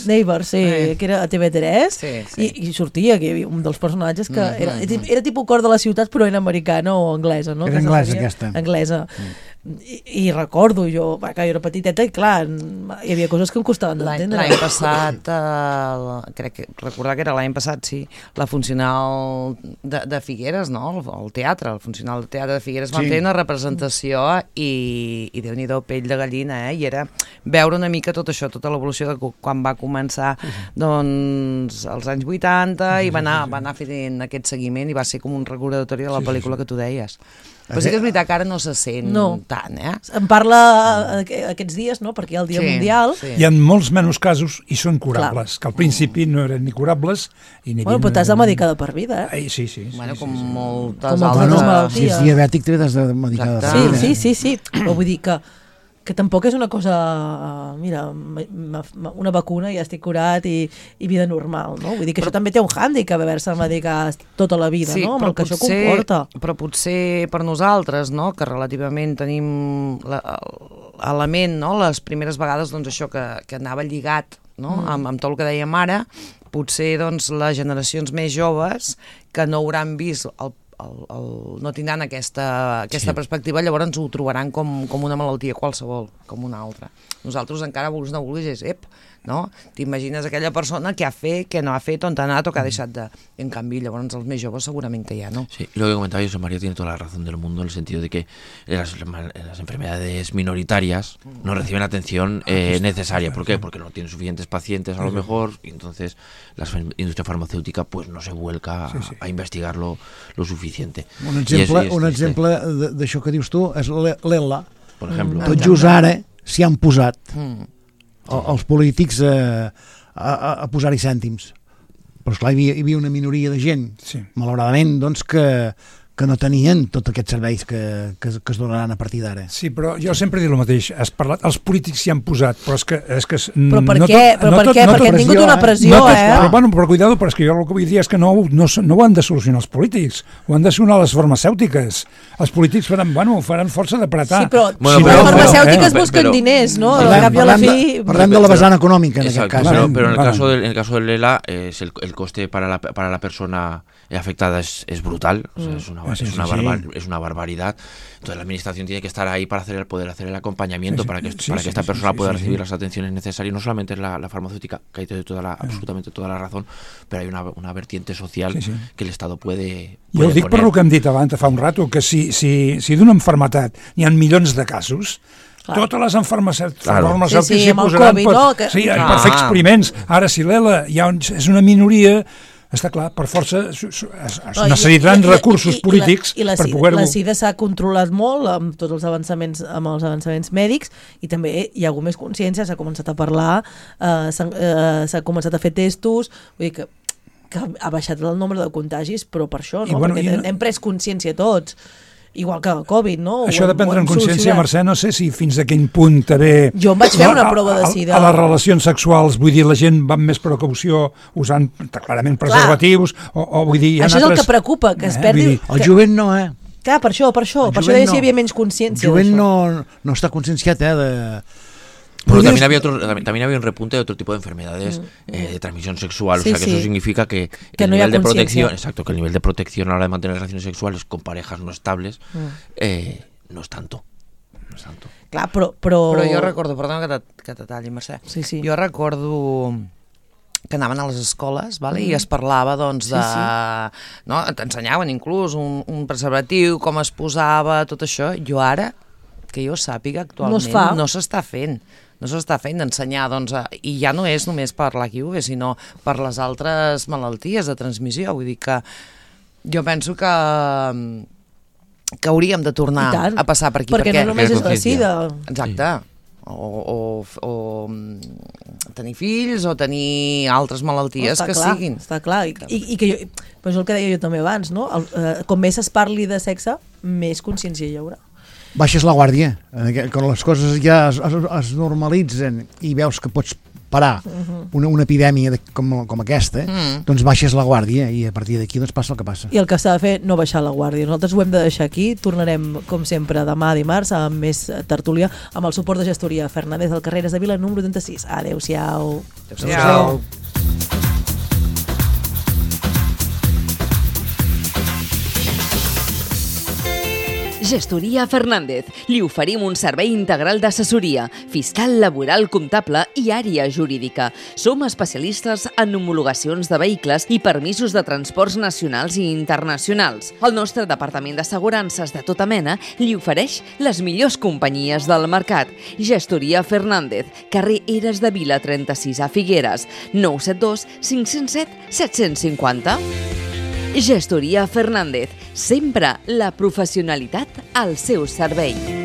Neighbors, que era a TV3, i sortia que hi havia un dels personatges que era tipus Cor de la ciutat, però era americana o anglesa, no? Era anglesa aquesta. Anglesa. I recordo jo, que jo era petiteta i clar, hi havia coses que em costaven d'entendre. L'any passat, recordar que era l'any passat, sí, la funcional de Figueres, no? El teatre, el funcional de teatre de Figueres van fer una representació i Déu-n'hi-do, pell de gallina, i era veure una mica tot això, tota l'evolució de quan va començar doncs als anys 80 i va anar fent aquest seguiment i va ser com un recordatori de la pel·lícula que tu deies. Però sí que és veritat que ara no se sent tant, En parla aquests dies, no? Perquè hi ha el Dia Mundial. Hi ha molts menys casos i són curables, que al principi no eren ni curables i ni... Bueno, però t'has de medicar de per vida, Sí. Bueno, com moltes altres malalties. Si ets diabètic, t'has de medicar de per vida. Sí. Però vull dir que tampoc és una cosa, mira, una vacuna i ja estic curat i vida normal, no? Vull dir que això també té un hàndicap haver-se medicat tota la vida, no? Amb el que això comporta. Però potser per nosaltres, no?, que relativament tenim l'element, no?, les primeres vegades, doncs això que anava lligat, no?, amb tot el que dèiem ara, potser doncs les generacions més joves que no hauran vist no tindran aquesta perspectiva, llavors ho trobaran com una malaltia qualsevol, com una altra. Nosaltres encara, vulguis no vulguis, no? T'imagines aquella persona que ha fet, que no ha fet, on ha anat o que ha deixat de... En canvi, llavors els més joves segurament que ja no. Sí, y lo que comentaba José María tiene toda la razón del mundo en el sentido de que las enfermedades minoritarias no reciben atención necesaria. ¿Por qué? Porque no tienen suficientes pacientes a lo mejor y entonces la industria farmacéutica pues no se vuelca a investigar lo suficiente. Un exemple d'això que dius tu és l'ELA. Per exemple. Tot just ara s'hi han posat els polítics a posar-hi cèntims. Però esclar, hi havia una minoria de gent, malauradament, doncs, que no tenien tots aquests serveis que es donaran a partir d'ara. Sí, però jo sempre dic el mateix. Has parlat, els polítics s'hi han posat, però és que... Però per què? Perquè han tingut una pressió, Però cuidado, però és que jo el que vull dir és que no ho han de solucionar els polítics, ho han de solucionar les farmacèutiques. Els polítics faran força d'apretar. Sí, però les farmacèutiques busquen diners, no? Parlem de la vessant econòmica, en aquest cas. Pero en el caso del ELA, el coste para la persona afectada es brutal, o sea, es una barbaridad. Entonces la administración tiene que estar ahí para poder hacer el acompañamiento para que esta persona pueda recibir las atenciones necesarias. No solamente es la farmacéutica, que hay absolutamente toda la razón, pero hay una vertiente social que el Estado puede jo ho dic per el que hem dit abans fa un rato, que si d'una malaltia n'hi ha milions de casos, totes les farmacèutiques s'hi posaran per fer experiments. Ara, si l'ELA és una minoria, està clar, per força es necessitaran recursos polítics per poder-ho... La SIDA s'ha controlat molt amb tots els avançaments mèdics i també hi ha hagut més consciència, s'ha començat a parlar, s'ha començat a fer testos, vull dir que ha baixat el nombre de contagis, però per això, no? Perquè hem pres consciència tots. igual que el Covid, no? Això de prendre en consciència, Mercè, no sé si fins a quin punt també... Jo em vaig fer una prova de sida. A les relacions sexuals, vull dir, la gent va amb més precaució usant clarament preservatius, o vull dir... Això és el que preocupa, que es perdi... El jovent no, Clar, per això deia si hi havia menys consciència. El jovent no està conscienciat, Pero también había un repunte de otro tipo de enfermedades de transmisión sexual, o sea que eso significa que el nivel de protección, que el nivel de protección a la hora de mantener relaciones sexuales con parejas no estables no es tanto. Clar, però jo recordo, perdona que te talli, Mercè, jo recordo que anaven a les escoles, vale? I es parlava doncs de... No? T'ensenyaven inclús un preservatiu, com es posava, tot això. Jo ara, que jo sàpiga, actualment no s'està fent. No s'està fent d'ensenyar, doncs, i ja no és només per l'HIV, sinó per les altres malalties de transmissió. Vull dir que jo penso que hauríem de tornar a passar per aquí. Perquè no només és la sida. Exacte. O tenir fills o tenir altres malalties que siguin. Està clar. I que jo, però és el que deia jo també abans, no? Com més es parli de sexe, més consciència hi haurà. Baixes la guàrdia. Quan les coses ja es normalitzen i veus que pots parar una epidèmia com aquesta, doncs baixes la guàrdia i a partir d'aquí doncs passa el que passa. I el que s'ha de fer, no baixar la guàrdia. Nosaltres ho hem de deixar aquí. Tornarem, com sempre, demà dimarts amb més tertúlia, amb el suport de Gestoria Fernández del Carreres de Vila, número 86. Adéu-siau. Adéu-siau. Gestoria Fernández. Li oferim un servei integral d'assessoria, fiscal, laboral, comptable i àrea jurídica. Som especialistes en homologacions de vehicles i permisos de transports nacionals i internacionals. El nostre departament d'assegurances de tota mena li ofereix les millors companyies del mercat. Gestoria Fernández, carrer Eres de Vila 36 a Figueres, 972 507 750. Gestoria Fernández, sempre la professionalitat al seu servei.